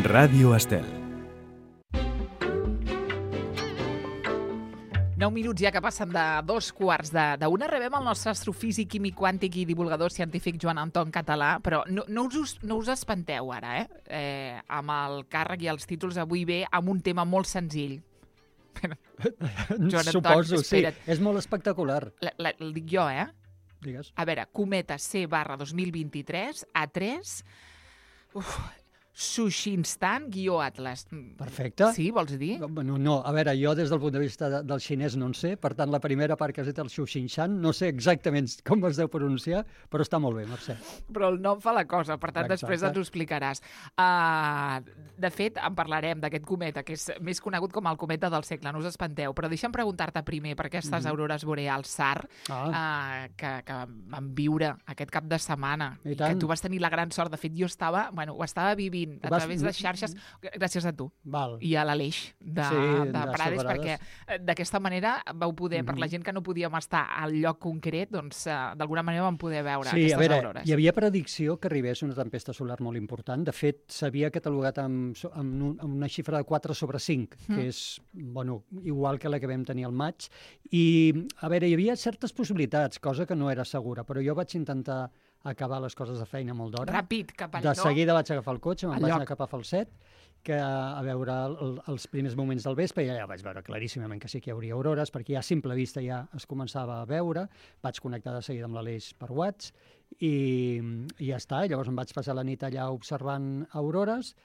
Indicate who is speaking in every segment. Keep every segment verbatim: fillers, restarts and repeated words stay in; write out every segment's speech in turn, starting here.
Speaker 1: Ràdio Estel.
Speaker 2: Nou minuts ja que passen de dos quarts d'una. Rebem el nostre astrofísic, químic quàntic i divulgador científic Joan Anton Català, però no, no, us, no us espanteu ara, eh? eh? Amb el càrrec i els títols avui ve amb un tema molt senzill.
Speaker 3: Joan Anton, suposo, espera't. Sí. És molt espectacular.
Speaker 2: La, la, el dic jo, eh?
Speaker 3: Digues.
Speaker 2: A veure, cometa C barra dos mil vint-i-tres, A tres... Uf... Sushinstan guió Atlas.
Speaker 3: Perfecte.
Speaker 2: Sí, vols dir?
Speaker 3: No, no, a veure, jo des del punt de vista de, del xinès no en sé, per tant, la primera part que has dit, el Sushinshan, no sé exactament com es deu pronunciar, però està molt bé, Mercè.
Speaker 2: Però el nom fa la cosa, per tant,
Speaker 3: Exacte.
Speaker 2: Després ens ho explicaràs. Uh, de fet, en parlarem d'aquest cometa, que és més conegut com el cometa del segle, no us espanteu, però deixa'm preguntar-te primer per aquestes mm-hmm. aurores boreals S A R ah. uh, que, que van viure aquest cap de setmana, i, i que tu vas tenir la gran sort. De fet, jo estava, bueno, ho estava vivint a vas... través de xarxes, gràcies a tu.
Speaker 3: Val.
Speaker 2: I a l'Aleix de, sí, de, de Prades, perquè d'aquesta manera vau poder, mm-hmm. per la gent que no podíem estar al lloc concret, doncs d'alguna manera vam poder veure
Speaker 3: sí,
Speaker 2: aquestes
Speaker 3: a veure,
Speaker 2: aurores.
Speaker 3: Hi havia predicció que arribés una tempesta solar molt important. De fet, s'havia catalogat amb, amb, un, amb una xifra de quatre sobre cinc, mm. que és bueno, igual que la que vam tenir al maig. I, a veure, hi havia certes possibilitats, cosa que no era segura, però jo vaig intentar acabar les coses de feina molt d'hora.
Speaker 2: Ràpid, cap al
Speaker 3: De seguida vaig agafar el cotxe, me'n vaig
Speaker 2: lloc.
Speaker 3: anar cap a Falset, que a veure el, els primers moments del vespre, i ja vaig veure claríssimament que sí que hi hauria aurores, perquè ja a simple vista ja es començava a veure. Vaig connectar de seguida amb l'Aleix per WhatsApp i, i ja està. Llavors em vaig passar la nit allà observant aurores,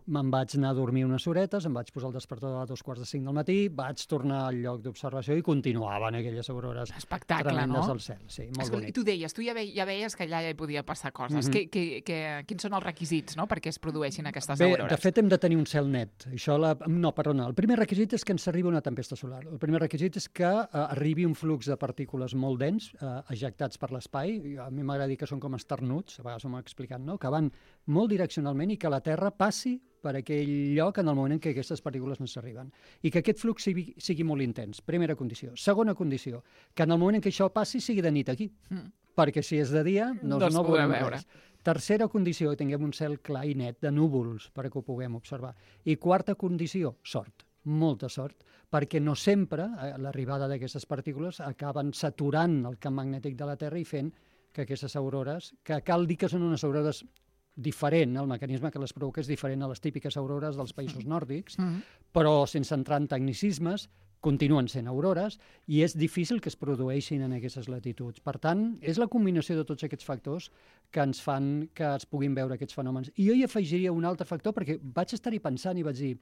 Speaker 3: me'n vaig anar a dormir unes horetes, em vaig posar el despertador a dos quarts de cinc del matí, vaig tornar al lloc d'observació i continuaven aquelles aurores
Speaker 2: Espectacle,
Speaker 3: tremendes
Speaker 2: no?
Speaker 3: al cel. Sí, molt
Speaker 2: Escolta,
Speaker 3: bonic.
Speaker 2: I tu deies, tu ja, ve, ja veies que allà ja hi podia passar coses.
Speaker 3: Mm-hmm.
Speaker 2: que, que, que, quins són els requisits, no?, perquè es produeixin aquestes
Speaker 3: Bé,
Speaker 2: aurores?
Speaker 3: de fet, hem de tenir un cel net. Això la... No, perdona, el primer requisit és que ens arribi una tempesta solar. El primer requisit és que uh, arribi un flux de partícules molt dens, uh, ejectats per l'espai. A mi m'agrada dir que són com esternuts, a vegades ho m'ha explicat, no?, que van molt direccionalment i que la Terra passi per aquell lloc en el moment en què aquestes partícules no s'arriben. I que aquest flux sigui, sigui molt intens. Primera condició. Segona condició, que en el moment en què això passi sigui de nit aquí. Mm. Perquè si és de dia no,
Speaker 2: no,
Speaker 3: no veurem
Speaker 2: veure.
Speaker 3: res. Tercera condició, que tinguem un cel clar i net de núvols perquè ho puguem observar. I quarta condició, sort. Molta sort, perquè no sempre eh, l'arribada d'aquestes partícules acaben saturant el camp magnètic de la Terra i fent que aquestes aurores, que cal dir que són unes aurores diferent, el mecanisme que les provoca és diferent a les típiques aurores dels països nòrdics, mm-hmm. però sense entrar en tecnicismes, continuen sent aurores i és difícil que es produeixin en aquestes latituds. Per tant, és la combinació de tots aquests factors que ens fan que es puguin veure aquests fenòmens. I jo hi afegiria un altre factor, perquè vaig estar-hi pensant i vaig dir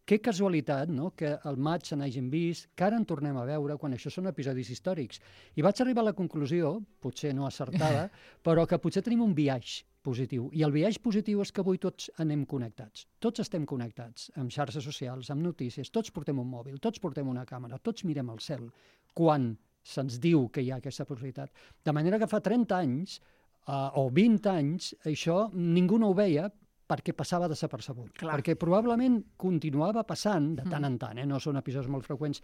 Speaker 3: que casualitat, no?, que al maig se n'hagin vist, que ara en tornem a veure quan això són episodis històrics. I vaig arribar a la conclusió, potser no acertada, però que potser tenim un biaix positiu. I el biaix positiu és que avui tots anem connectats. Tots estem connectats amb xarxes socials, amb notícies, tots portem un mòbil, tots portem una càmera, tots mirem al cel quan se'ns diu que hi ha aquesta possibilitat. De manera que fa trenta anys uh, o vint anys això ningú no ho veia perquè passava desapercebut.
Speaker 2: Clar.
Speaker 3: Perquè probablement continuava passant de tant en tant, eh? No són episodis molt freqüents,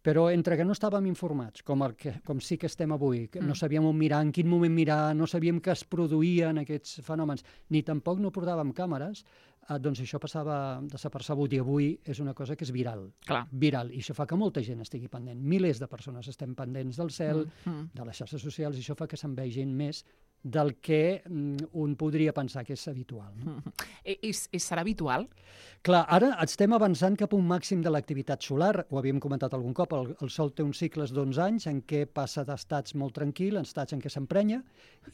Speaker 3: però entre que no estàvem informats, com, el que, com sí que estem avui, que mm. no sabíem on mirar, en quin moment mirar, no sabíem que es produïen aquests fenòmens, ni tampoc no portàvem càmeres, eh, doncs això passava desapercebut i avui és una cosa que és viral.
Speaker 2: Clar.
Speaker 3: Viral. I això fa que molta gent estigui pendent. Milers de persones estem pendents del cel,
Speaker 2: mm.
Speaker 3: de les xarxes socials, i això fa que se'n vegin més del que mm, un podria pensar que és habitual. No?
Speaker 2: I, i, I serà habitual?
Speaker 3: Clar, ara estem avançant cap a un màxim de l'activitat solar, ho havíem comentat algun cop, el, el Sol té uns cicles d'onze anys en què passa d'estats molt tranquil, en estats en què s'emprenya,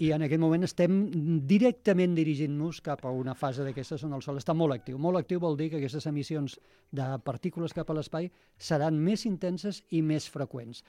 Speaker 3: i en aquest moment estem directament dirigint-nos cap a una fase d'aquestes on el Sol està molt actiu. Molt actiu vol dir que aquestes emissions de partícules cap a l'espai seran més intenses i més freqüents.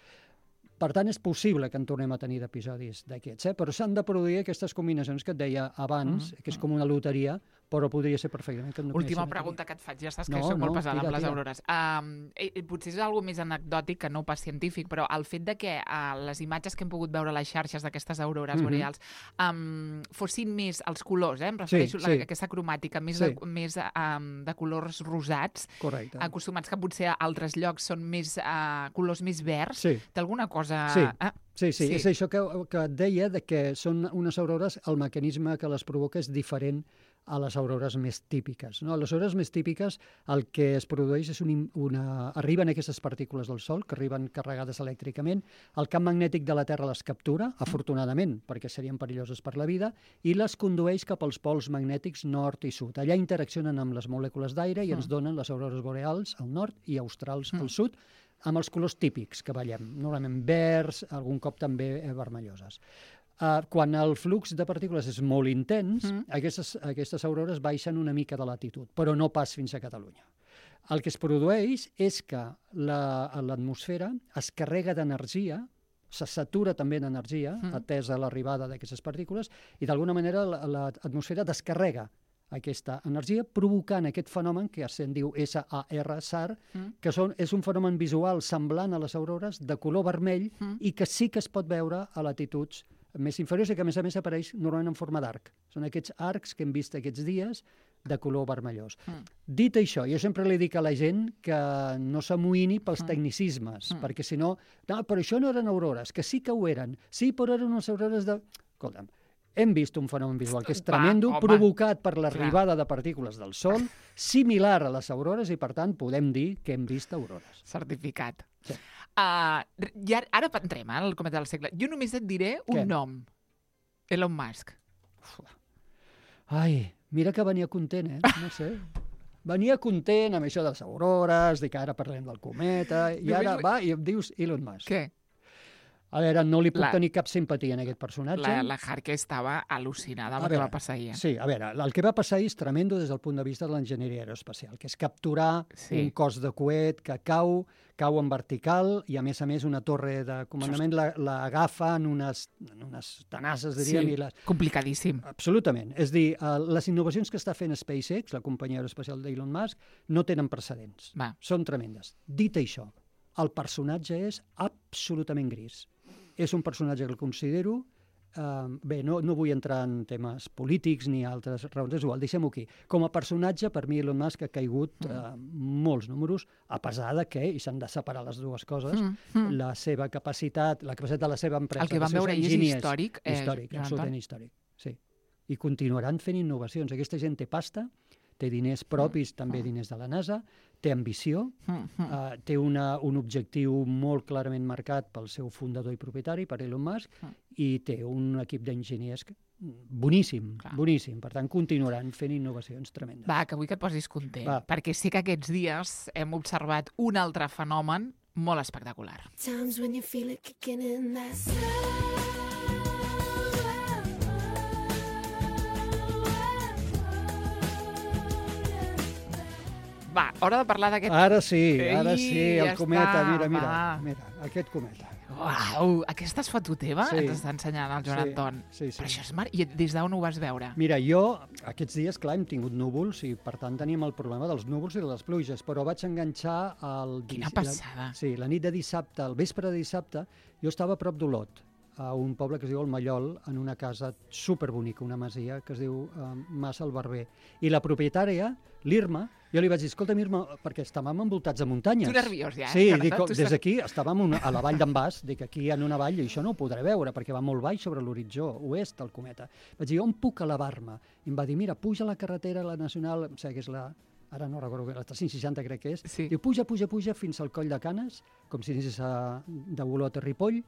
Speaker 3: Per tant, és possible que en tornem a tenir d'episodis d'aquests, eh? Però s'han de produir aquestes combinacions que et deia abans, mm-hmm. que és com una loteria, però podria ser perfectament que no.
Speaker 2: Última pregunta que et faig, ja saps que
Speaker 3: no,
Speaker 2: soc
Speaker 3: no,
Speaker 2: molt pesada
Speaker 3: tira,
Speaker 2: amb les
Speaker 3: tira.
Speaker 2: aurores. Um, eh, potser és alguna més anecdòtic que no pas científic, però el fet de que uh, les imatges que hem pogut veure a les xarxes d'aquestes aurores mm-hmm. boreals um, fossin més els colors, eh? Em refereixo
Speaker 3: sí,
Speaker 2: a
Speaker 3: sí.
Speaker 2: aquesta cromàtica, més,
Speaker 3: sí.
Speaker 2: de, més um, de colors rosats,
Speaker 3: correcte.
Speaker 2: Acostumats que potser a altres llocs són més uh, colors més verds.
Speaker 3: Sí.
Speaker 2: Té alguna cosa...
Speaker 3: Sí.
Speaker 2: Ah,
Speaker 3: Sí, sí, sí, és això que, que et deia, de que són unes aurores, el mecanisme que les provoca és diferent a les aurores més típiques. No? A les aurores més típiques el que es produeix és un, una... Arriben aquestes partícules del Sol, que arriben carregades elèctricament, el camp magnètic de la Terra les captura, afortunadament, perquè serien perilloses per la vida, i les condueix cap als pols magnètics nord i sud. Allà interaccionen amb les molècules d'aire i ens donen les aurores boreals al nord i australs al sud, amb els colors típics que veiem, normalment verds, algun cop també vermelloses. Uh, quan el flux de partícules és molt intens, mm. aquestes, aquestes aurores baixen una mica de latitud, però no pas fins a Catalunya. El que es produeix és que l'atmosfera la, es carrega d'energia, se satura també d'energia, mm. atesa l'arribada d'aquestes partícules, i d'alguna manera l'atmosfera la, descarrega aquesta energia, provocant aquest fenomen que se'n diu S A R, S A R, mm. que són, és un fenomen visual semblant a les aurores, de color vermell, mm. i que sí que es pot veure a latituds més inferiors i que, a més a més, apareix normalment en forma d'arc. Són aquests arcs que hem vist aquests dies de color vermellós. Mm. Dit això, jo sempre li dic a la gent que no s'amoïni pels mm. tecnicismes, mm. perquè si no, no, però això no eren aurores, que sí que ho eren. Sí, però eren unes aurores de... Escolta'm, hem vist un fenomen visual que és tremendo, Va, provocat per l'arribada de partícules del Sol, similar a les aurores, i per tant podem dir que hem vist aurores.
Speaker 2: Certificat.
Speaker 3: Sí.
Speaker 2: Uh, ja, ara entrem eh, al cometa del segle. Jo només et diré un
Speaker 3: Què?
Speaker 2: nom. Elon Musk.
Speaker 3: Uf. Ai, mira que venia content, eh? No sé. Venia content amb això de les aurores, de que ara parlem del cometa, i ara va i em dius Elon Musk.
Speaker 2: Què?
Speaker 3: A veure, no li puc
Speaker 2: La-
Speaker 3: tenir cap simpatia en aquest personatge.
Speaker 2: La, la Harke estava al·lucinada amb
Speaker 3: A
Speaker 2: el que
Speaker 3: veure,
Speaker 2: va passar ahir.
Speaker 3: Sí, a veure, el que va passar ahir és tremendo des del punt de vista de l'enginyeria aeroespacial, que és capturar
Speaker 2: Sí.
Speaker 3: un cos de coet que cau, cau en vertical, i a més a més una torre de comandament la, la agafa en unes, en unes tenasses, diríem,
Speaker 2: Sí,
Speaker 3: i les...
Speaker 2: complicadíssim.
Speaker 3: Absolutament. És dir, uh, les innovacions que està fent SpaceX, la companyia aeroespacial d'Elon Musk, no tenen precedents.
Speaker 2: Va.
Speaker 3: Són tremendes. Dit això, el personatge és absolutament gris. És un personatge que el considero... Uh, bé, no, no vull entrar en temes polítics ni altres raons, és igual, deixem-ho aquí. Com a personatge, per mi Elon Musk ha caigut uh, molts números, a pesar de que, i s'han de separar les dues coses,
Speaker 2: Mm, mm.
Speaker 3: la seva capacitat, la capacitat de la seva empresa...
Speaker 2: El que vam
Speaker 3: dels seus
Speaker 2: veure ahir és
Speaker 3: enginyers,
Speaker 2: històric, eh,
Speaker 3: històric,
Speaker 2: Joan
Speaker 3: absolutament
Speaker 2: Anton?
Speaker 3: històric, sí. I continuaran fent innovacions. Aquesta gent té pasta, té diners propis, també diners de la NASA, té ambició,
Speaker 2: Mm, mm.
Speaker 3: uh, té una, un objectiu molt clarament marcat pel seu fundador i propietari, per Elon Musk,
Speaker 2: Mm.
Speaker 3: i té un equip d'enginyers que- boníssim,
Speaker 2: Clar.
Speaker 3: boníssim. Per tant, continuaran fent innovacions tremendes.
Speaker 2: Va, que vull que et posis content,
Speaker 3: Va.
Speaker 2: perquè sí que aquests dies hem observat un altre fenomen molt espectacular.
Speaker 1: Times when you feel it kicking in that
Speaker 2: Va, hora de parlar d'aquest...
Speaker 3: Ara sí, ara
Speaker 2: Ei,
Speaker 3: sí, el
Speaker 2: ja
Speaker 3: cometa,
Speaker 2: està,
Speaker 3: mira, mira,
Speaker 2: va.
Speaker 3: mira, aquest cometa.
Speaker 2: Uau, aquesta és foto teva?
Speaker 3: Sí.
Speaker 2: Ens està ensenyant el Joan
Speaker 3: Sí,
Speaker 2: Anton.
Speaker 3: sí, sí.
Speaker 2: Però això és mar... I des d'on ho vas veure?
Speaker 3: Mira, jo aquests dies, clar, hem tingut núvols i per tant teníem el problema dels núvols i de les pluges, però vaig enganxar el...
Speaker 2: Quina
Speaker 3: dis-
Speaker 2: passada.
Speaker 3: La, sí, la nit de dissabte, el vespre de dissabte, jo estava a prop d'Olot, a un poble que es diu el Mallol, en una casa superbonica, una masia que es diu uh, Mas el Barber. I la propietària, l'Irma, jo li vaig dir, escolta, Irma, perquè estàvem envoltats de muntanyes.
Speaker 2: Tu nerviós ja, eh?
Speaker 3: Sí,
Speaker 2: Jonathan?
Speaker 3: dic,
Speaker 2: Tu
Speaker 3: des
Speaker 2: estàs-
Speaker 3: d'aquí estàvem una, a la vall d'en Bas, dic, aquí en una vall, i això no ho podré veure, perquè va molt baix sobre l'horitzó oest del cometa. Vaig dir, on puc elevar-me? I em va dir, mira, puja a la carretera, la nacional, em sembla que és la... Ara no recordo, la tres-cents seixanta crec que és.
Speaker 2: Sí.
Speaker 3: Diu, puja, puja, puja fins al coll de Canes, com si anessis a, de Olot a Ripoll,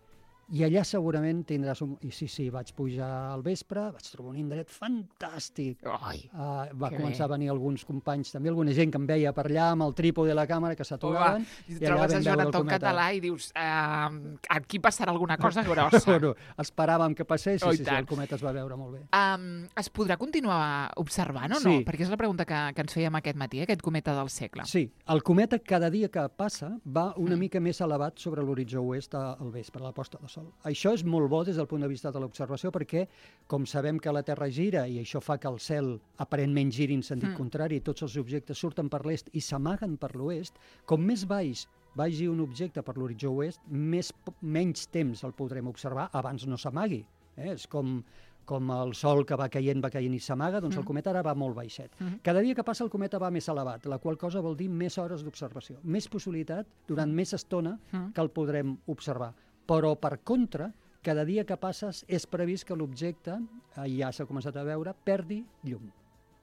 Speaker 3: i allà segurament tindràs un... I sí, sí, vaig pujar al vespre, vaig trobar un indret fantàstic.
Speaker 2: Ai,
Speaker 3: Uh, va
Speaker 2: que
Speaker 3: començar
Speaker 2: bé.
Speaker 3: a venir alguns companys, també alguna gent que em veia per allà amb el trípode de la càmera, que s'aturaven.
Speaker 2: i trobes a Joan Anton català i dius, uh, aquí passarà alguna cosa grossa.
Speaker 3: Bueno, esperàvem que passés,
Speaker 2: Oh,
Speaker 3: i
Speaker 2: i
Speaker 3: sí, sí,
Speaker 2: tant.
Speaker 3: el cometa es va veure molt bé.
Speaker 2: Um, es podrà continuar observant o no?
Speaker 3: Sí.
Speaker 2: Perquè és la pregunta que, que ens fèiem aquest matí, aquest cometa del segle.
Speaker 3: Sí, el cometa cada dia que passa va una
Speaker 2: Mm.
Speaker 3: mica més elevat sobre l'horitzó oest a- al vespre, a la posta de sol. Això és molt bo des del punt de vista de l'observació perquè, com sabem que la Terra gira i això fa que el cel aparentment giri en sentit
Speaker 2: Mm.
Speaker 3: contrari, tots els objectes surten per l'est i s'amaguen per l'oest, com més baix vagi un objecte per l'horitzó oest, més, po- menys temps el podrem observar abans no s'amagui. Eh? És com, com el sol que va caient, va caient i s'amaga, doncs el
Speaker 2: Mm.
Speaker 3: cometa ara va molt baixet.
Speaker 2: Mhm.
Speaker 3: Cada dia que passa el cometa va més elevat, la qual cosa vol dir més hores d'observació, més possibilitat durant més estona
Speaker 2: Mm.
Speaker 3: que el podrem observar. però per contra, cada dia que passes és previst que l'objecte, eh, ja s'ha començat a veure, perdi llum,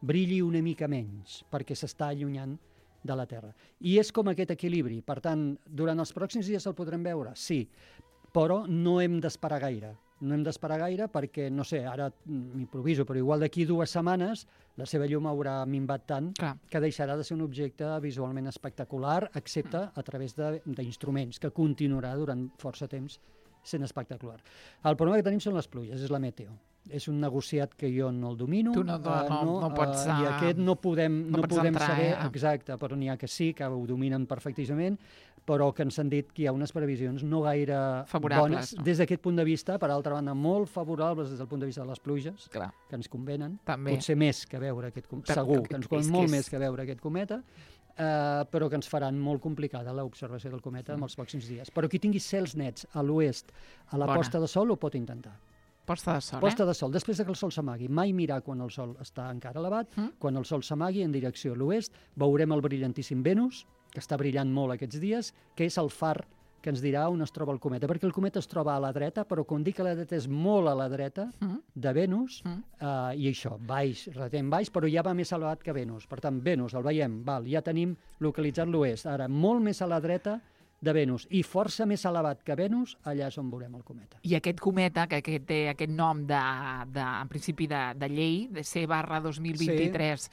Speaker 3: brilli una mica menys, perquè s'està allunyant de la Terra. I és com aquest equilibri. Per tant, durant els pròxims dies el podrem veure? Sí, però no hem d'esperar gaire. No hem d'esperar gaire perquè, no sé, ara m'improviso, però igual d'aquí dues setmanes la seva llum haurà minvat tant
Speaker 2: Clar.
Speaker 3: que deixarà de ser un objecte visualment espectacular, excepte a través d'instruments, que continuarà durant força temps sent espectacular. El problema que tenim són les pluges, és la meteo. És un negociat que jo no el domino.
Speaker 2: Tu no, no,
Speaker 3: uh,
Speaker 2: no, no pots...
Speaker 3: Uh, I aquest no podem,
Speaker 2: no
Speaker 3: no
Speaker 2: pots
Speaker 3: podem
Speaker 2: entrar,
Speaker 3: saber
Speaker 2: eh?
Speaker 3: exacte, però n'hi ha que sí, que ho dominen perfectíssimament, però que ens han dit que hi ha unes previsions no gaire
Speaker 2: favorables,
Speaker 3: bones
Speaker 2: no?
Speaker 3: des d'aquest punt de vista, per altra banda, molt favorables des del punt de vista de les pluges,
Speaker 2: Clar.
Speaker 3: que ens convenen,
Speaker 2: També.
Speaker 3: potser més que veure aquest cometa,
Speaker 2: Per-
Speaker 3: segur,
Speaker 2: que-
Speaker 3: que ens
Speaker 2: és
Speaker 3: conven
Speaker 2: que
Speaker 3: molt
Speaker 2: és-
Speaker 3: més que veure aquest cometa, Uh, però que ens faran molt complicada l'observació del cometa en els pròxims dies. Però qui tingui cels nets a l'oest, a la
Speaker 2: Bona.
Speaker 3: posta de sol, ho pot intentar.
Speaker 2: Posta de sol,
Speaker 3: Posta
Speaker 2: eh?
Speaker 3: de sol, després de que el sol s'amagui. Mai mirar quan el sol està encara elevat.
Speaker 2: Mm.
Speaker 3: Quan el sol s'amagui en direcció a l'oest, veurem el brillantíssim Venus, que està brillant molt aquests dies, que és el far que ens dirà on es troba el cometa, perquè el cometa es troba a la dreta, però quan dic a la dreta és molt a la dreta
Speaker 2: Mm.
Speaker 3: de Venus,
Speaker 2: Mm.
Speaker 3: eh, i això, baix, relativament baix, però ja va més elevat que Venus. Per tant, Venus, el veiem, val, ja tenim localitzat l'oest. Ara, molt més a la dreta de Venus, i força més elevat que Venus, allà és on veurem el cometa.
Speaker 2: I aquest cometa, que, que té aquest nom de, de, en principi de, de llei, de C barra dos mil vint-i-tres, sí.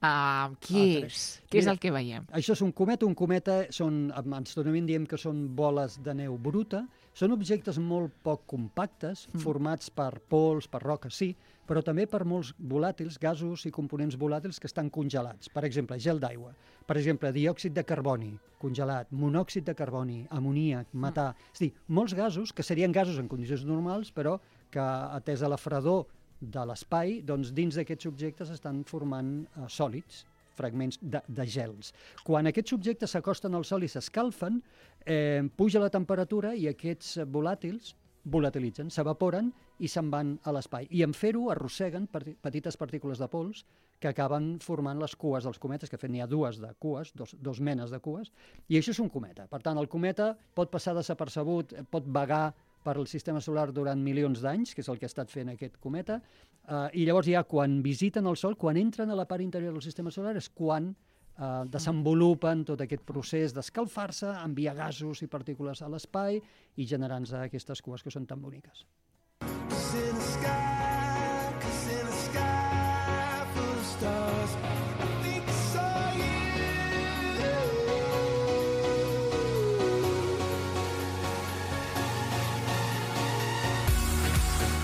Speaker 2: uh, què
Speaker 3: Ah,
Speaker 2: és? Què és
Speaker 3: Mira,
Speaker 2: el que veiem?
Speaker 3: Això és un cometa. Un cometa, són, ens diem que són boles de neu bruta, són objectes molt poc compactes,
Speaker 2: Mm.
Speaker 3: formats per pols, per roques, sí, però també per molts volàtils, gasos i components volàtils que estan congelats. Per exemple, gel d'aigua, per exemple, diòxid de carboni congelat, monòxid de carboni, amoníac, metà... És a dir, molts gasos que serien gasos en condicions normals, però que, atès a la fredor de l'espai, doncs dins d'aquests objectes estan formant eh, sòlids, fragments de, de gels. Quan aquests objectes s'acosten al sol i s'escalfen, eh, puja la temperatura i aquests volàtils volatilitzen, s'evaporen i se'n van a l'espai. I en fer-ho arrosseguen parti- petites partícules de pols que acaben formant les cues dels cometes, que de fet n'hi ha dues de cues, dos, dos menes de cues, i això és un cometa. Per tant, el cometa pot passar desapercebut, eh, pot vagar per al sistema solar durant milions d'anys, que és el que ha estat fent aquest cometa, eh, i llavors ja quan visiten el Sol, quan entren a la part interior del sistema solar, és quan eh, desenvolupen tot aquest procés d'escalfar-se, enviar gasos i partícules a l'espai i generant-se aquestes cues que són tan boniques.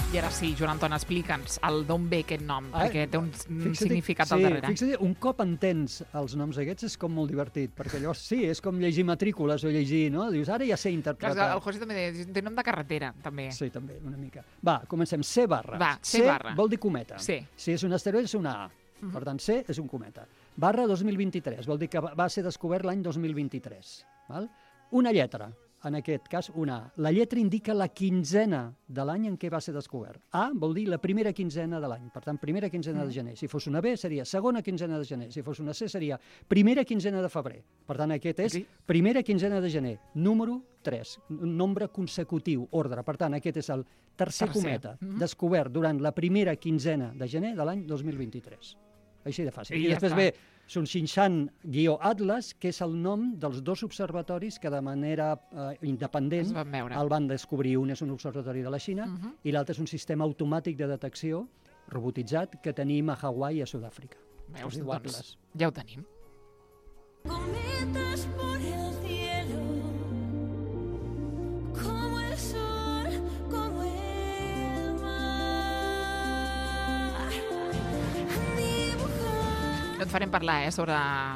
Speaker 2: I ara sí, Joan Anton, explica'ns el d'on ve aquest nom,
Speaker 3: Ah,
Speaker 2: perquè té un
Speaker 3: Fixa't,
Speaker 2: significat
Speaker 3: sí,
Speaker 2: al darrere.
Speaker 3: Fixa't, un cop entens els noms aquests és com molt divertit, perquè llavors sí, és com llegir matrícules o llegir, no? Dius, ara ja sé
Speaker 2: Clar,
Speaker 3: interpretar.
Speaker 2: el José també té, té nom de carretera, també.
Speaker 3: Sí, també, una mica. Va, comencem. C barra.
Speaker 2: Va, C barra.
Speaker 3: vol dir cometa.
Speaker 2: Sí.
Speaker 3: Si és un asteroide, és una A. Uh -huh. Per tant, C és un cometa. Barra dos mil vint-i-tres, vol dir que va va ser descobert l'any dos mil vint-i-tres. Val? Una lletra, en aquest cas una A. La lletra indica la quinzena de l'any en què va ser descobert. A vol dir la primera quinzena de l'any. Per tant, primera quinzena de gener. Si fos una B, seria segona quinzena de gener. Si fos una C, seria primera quinzena de febrer. Per tant, aquest és
Speaker 2: Aquí.
Speaker 3: primera quinzena de gener. Número tres. Un nombre consecutiu, ordre. Per tant, aquest és el tercer,
Speaker 2: Tercer.
Speaker 3: cometa
Speaker 2: Mhm.
Speaker 3: descobert durant la primera quinzena de gener de l'any dos mil vint-i-tres. Així de fàcil.
Speaker 2: I
Speaker 3: I,
Speaker 2: ja
Speaker 3: després
Speaker 2: està.
Speaker 3: ve Sunxinshan-Atlas, que és el nom dels dos observatoris que de manera eh, independent
Speaker 2: Es van veure.
Speaker 3: el van descobrir. Un és un observatori de la Xina
Speaker 2: Mhm.
Speaker 3: i l'altre és un sistema automàtic de detecció robotitzat que tenim a Hawaii i a Sud-àfrica.
Speaker 2: Veus,
Speaker 3: Es diu
Speaker 2: doncs,
Speaker 3: Atlas.
Speaker 2: ja ho tenim.
Speaker 1: Cometas por el cielo, como el sol, como el mar. Dibujar.
Speaker 2: No et farem parlar, eh, sobre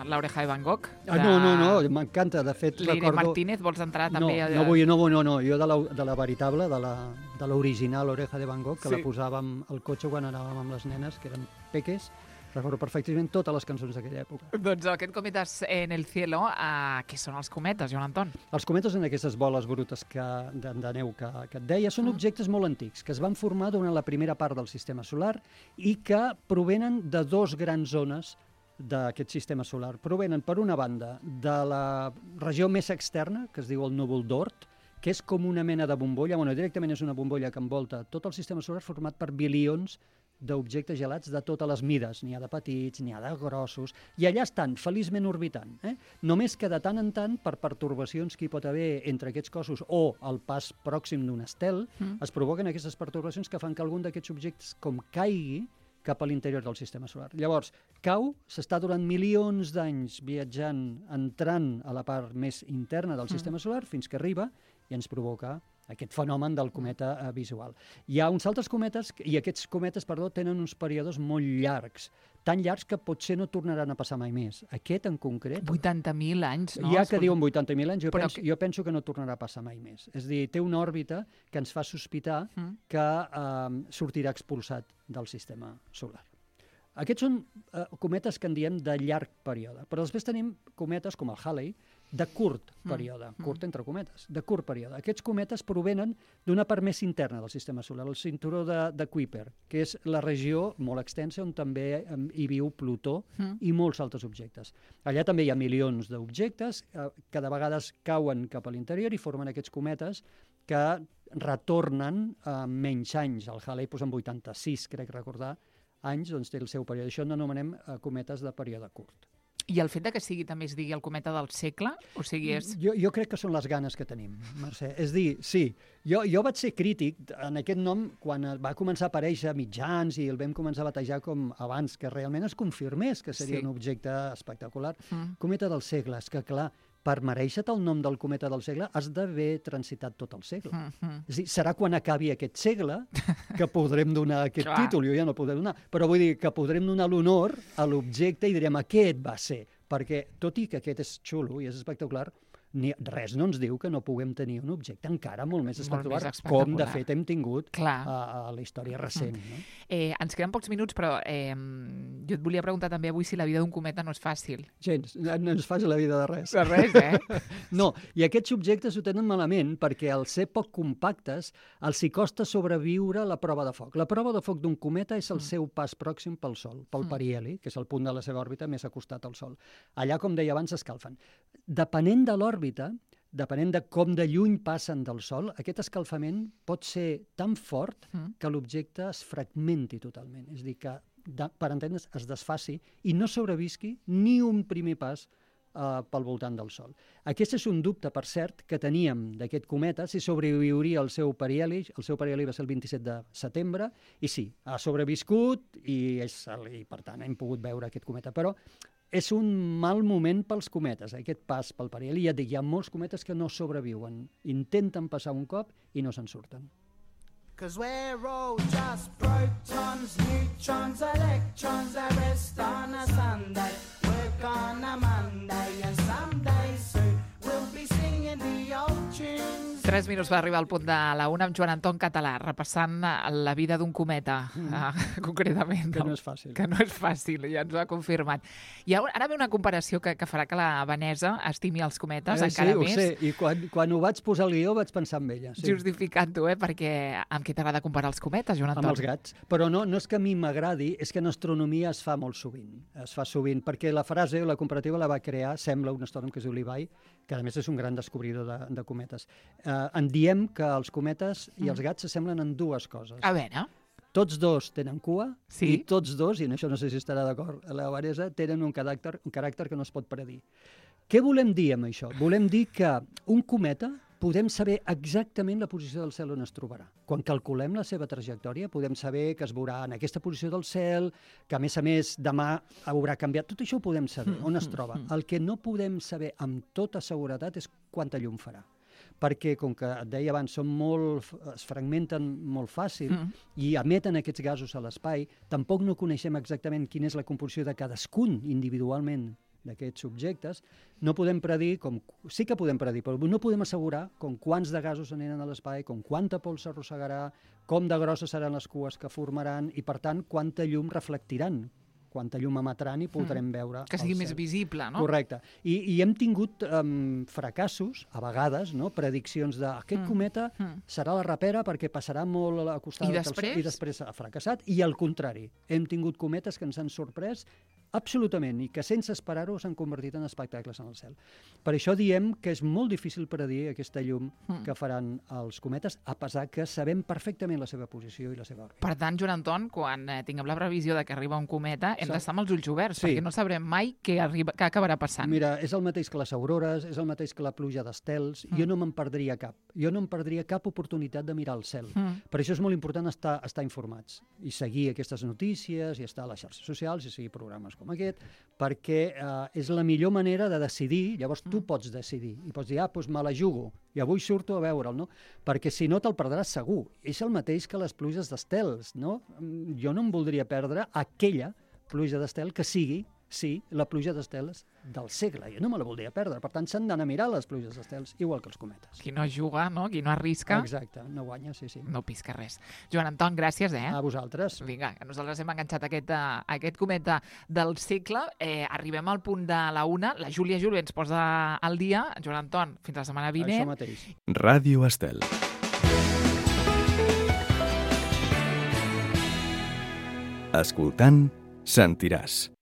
Speaker 2: l'oreja de Van Gogh.
Speaker 3: Ah, no, no, no, m'encanta. De fet,
Speaker 2: Leire
Speaker 3: recordo...
Speaker 2: Martínez, vols entrar
Speaker 3: No,
Speaker 2: també? a-
Speaker 3: no vull, no vull, no, no. Jo de la, de la veritable, de la, de l'original Oreja de Van Gogh, que
Speaker 2: Sí.
Speaker 3: la posàvem al cotxe quan anàvem amb les nenes, que eren peques, recordo perfectament totes les cançons d'aquella època.
Speaker 2: Doncs aquest cometes en el cielo, uh, què són els cometes, Joan Anton?
Speaker 3: Els cometes en aquestes boles brutes que, de, de neu que, que et deia són
Speaker 2: Mm.
Speaker 3: objectes molt antics, que es van formar durant la primera part del sistema solar i que provenen de dos grans zones d'aquest sistema solar. Provenen, per una banda, de la regió més externa, que es diu el núvol d'Oort, que és com una mena de bombolla, bueno, directament és una bombolla que envolta tot el sistema solar format per bilions d'objectes gelats de totes les mides. N'hi ha de petits, n'hi ha de grossos, i allà estan, feliçment orbitant. Eh? Només que de tant en tant, per pertorbacions que hi pot haver entre aquests cossos o el pas pròxim d'un estel, mm. es provoquen aquestes pertorbacions que fan que algun d'aquests objectes com caigui cap a l'interior del sistema solar. Llavors, cau, s'està durant milions d'anys viatjant, entrant a la part més interna del mm. sistema solar, fins que arriba i ens provoca aquest fenomen del cometa eh, visual. Hi ha uns altres cometes, i aquests cometes, perdó, tenen uns períodes molt llargs, tan llargs que potser no tornaran a passar mai més. Aquest en concret...
Speaker 2: vuitanta mil anys, no?
Speaker 3: Hi ha que diuen vuitanta mil anys, jo,
Speaker 2: Però
Speaker 3: penso,
Speaker 2: que...
Speaker 3: jo penso que no tornarà a passar mai més. És a dir, té una òrbita que ens fa sospitar mm. que eh, sortirà expulsat del sistema solar. Aquests són eh, cometes que en diem de llarg període, però després tenim cometes com el Halley, de curt període, mm. curt entre cometes, de curt període. Aquests cometes provenen d'una part més interna del sistema solar, el cinturó de, de Kuiper, que és la regió molt extensa on també hi viu Plutó mm. i molts altres objectes. Allà també hi ha milions d'objectes eh, que de vegades cauen cap a l'interior i formen aquests cometes que retornen a eh, menys anys. El Halley posa en vuitanta-sis, crec recordar, anys, doncs té el seu període. Això n'anomenem eh, cometes de període curt.
Speaker 2: I el fet de que sigui, també es digui el cometa del segle? O sigui, és...
Speaker 3: Jo, jo crec que són les ganes que tenim, Mercè. És dir, sí, jo, jo vaig ser crític en aquest nom quan va començar a aparèixer a mitjans i el vam començar a batejar com abans, que realment es confirmés que seria sí. un objecte espectacular. Mm. Cometa del segle, és que clar, per mereixer-te el nom del cometa del segle has d'haver transitat tot el segle. Mm-hmm. És a dir, serà quan acabi aquest segle que podrem donar aquest títol, jo ja no podré donar, però vull dir que podrem donar l'honor a l'objecte i direm aquest va ser, perquè tot i que aquest és xulo i és espectacular, ni, res no ens diu que no puguem tenir un objecte encara molt més espectacular, molt més espectacular. Com de fet hem tingut a, a la història recent. Mm. No?
Speaker 2: Eh, ens queden pocs minuts, però eh, jo et volia preguntar també avui si la vida d'un cometa no és fàcil.
Speaker 3: Gens, no és fàcil la vida de res.
Speaker 2: De res, eh?
Speaker 3: No, i aquests objectes ho tenen malament perquè al ser poc compactes els hi costa sobreviure la prova de foc. La prova de foc d'un cometa és el mm. seu pas pròxim pel Sol, pel mm. periheli, que és el punt de la seva òrbita més acostat al Sol. Allà, com deia abans, s'escalfen. Depenent de l'òrbita, depenent de com de lluny passen del Sol, aquest escalfament pot ser tan fort mm. que l'objecte es fragmenti totalment. És a dir, que, de, per entendre's, es desfaci i no sobrevisqui ni un primer pas uh, pel voltant del Sol. Aquest és un dubte, per cert, que teníem d'aquest cometa, si sobreviuria el seu periheli. El seu periheli va ser el vint-i-set de setembre, i sí, ha sobreviscut i, és, i per tant hem pogut veure aquest cometa. Però és un mal moment pels cometes, eh, aquest pas pel periheli. Ja dic, hi ha molts cometes que no sobreviuen. Intenten passar un cop i no se'n surten. 'Cause we're all just protons, neutrons, electrons, the rest on a Sunday, work on a Monday, and someday soon we'll be singing the old tunes.
Speaker 2: Tres minuts per arribar al punt de la una amb Joan Anton Català, repassant la vida d'un cometa, mm. uh, concretament.
Speaker 3: Que no és fàcil.
Speaker 2: Que no és fàcil, ja ens ho ha confirmat. I ara ve una comparació que, que farà que la Vanessa estimi els cometes
Speaker 3: eh,
Speaker 2: encara
Speaker 3: sí,
Speaker 2: més.
Speaker 3: Sí, ho sé, i quan, quan ho vaig posar al guió vaig pensar en ella. Sí.
Speaker 2: Justificant-ho, eh? Perquè amb què t'agrada comparar els cometes, Joan Anton?
Speaker 3: Amb els gats. Però no, no és que a mi m'agradi, és que en astronomia es fa molt sovint. Es fa sovint, perquè la frase o la comparativa la va crear, sembla, un astrònom que es diu Levi, que a més és un gran descobridor de, de cometes. Eh, en diem que els cometes i els gats s'assemblen en dues coses.
Speaker 2: A veure...
Speaker 3: Tots dos tenen cua
Speaker 2: sí?
Speaker 3: i tots dos, i en això no sé si estarà d'acord la Vanessa, tenen un caràcter, un caràcter que no es pot predir. Què volem dir amb això? Volem dir que un cometa podem saber exactament la posició del cel on es trobarà. Quan calculem la seva trajectòria podem saber que es veurà en aquesta posició del cel, que a més a més demà haurà canviat. Tot això ho podem saber, on es troba. El que no podem saber amb tota seguretat és quanta llum farà. Perquè, com que et deia abans, són molt, es fragmenten molt fàcil mm. i emeten aquests gasos a l'espai, tampoc no coneixem exactament quina és la composició de cadascun individualment d'aquests objectes. No podem predir, com, sí que podem predir, però no podem assegurar com quants de gasos aniran a l'espai, com quanta pols s'arrossegarà, com de grosses seran les cues que formaran i, per tant, quanta llum reflectiran, quanta llum emetran i podrem mm. veure
Speaker 2: que sigui més visible, no?
Speaker 3: Correcte. I, i hem tingut um, fracassos, a vegades, no? Prediccions de aquest mm. cometa mm. serà la rapera perquè passarà molt a costat
Speaker 2: I després?
Speaker 3: i després ha fracassat, i al contrari, hem tingut cometes que ens han sorprès absolutament, i que sense esperar-ho s'han convertit en espectacles en el cel. Per això diem que és molt difícil predir aquesta llum mm. que faran els cometes, a pesar que sabem perfectament la seva posició i la seva òrbita.
Speaker 2: Per tant, Joan Anton, quan eh, tinguem la previsió de que arriba un cometa, hem sí. d'estar amb els ulls oberts, sí. perquè no sabrem mai què, arriba, què acabarà passant.
Speaker 3: Mira, és el mateix que les aurores, és el mateix que la pluja d'estels, mm. jo no me'n perdria cap. Jo no em perdria cap oportunitat de mirar el cel. Mm. Per això és molt important estar, estar informats i seguir aquestes notícies i estar a les xarxes socials i seguir programes com aquest, perquè eh, és la millor manera de decidir. Llavors tu pots decidir i pots dir, ah, doncs me la jugo i avui surto a veure'l, no? Perquè si no te'l perdràs segur. És el mateix que les pluges d'estels, no? Jo no em voldria perdre aquella pluja d'estel que sigui, sí, la pluja d'estels del segle. Jo no me la voldria perdre. Per tant, s'han d'anar a mirar les pluges d'estels, igual que els cometes.
Speaker 2: Qui no juga, no? Qui no arrisca...
Speaker 3: Exacte, no guanya, sí, sí.
Speaker 2: No pisca res. Joan Anton, gràcies, eh?
Speaker 3: A vosaltres.
Speaker 2: Vinga, que nosaltres hem enganxat aquest, uh, aquest cometa del segle. Eh, arribem al punt de la una. La Júlia Juli ens posa al dia. Joan Anton, fins la setmana vinent.
Speaker 3: Això mateix.
Speaker 4: Ràdio Estel. Escoltant, sentiràs.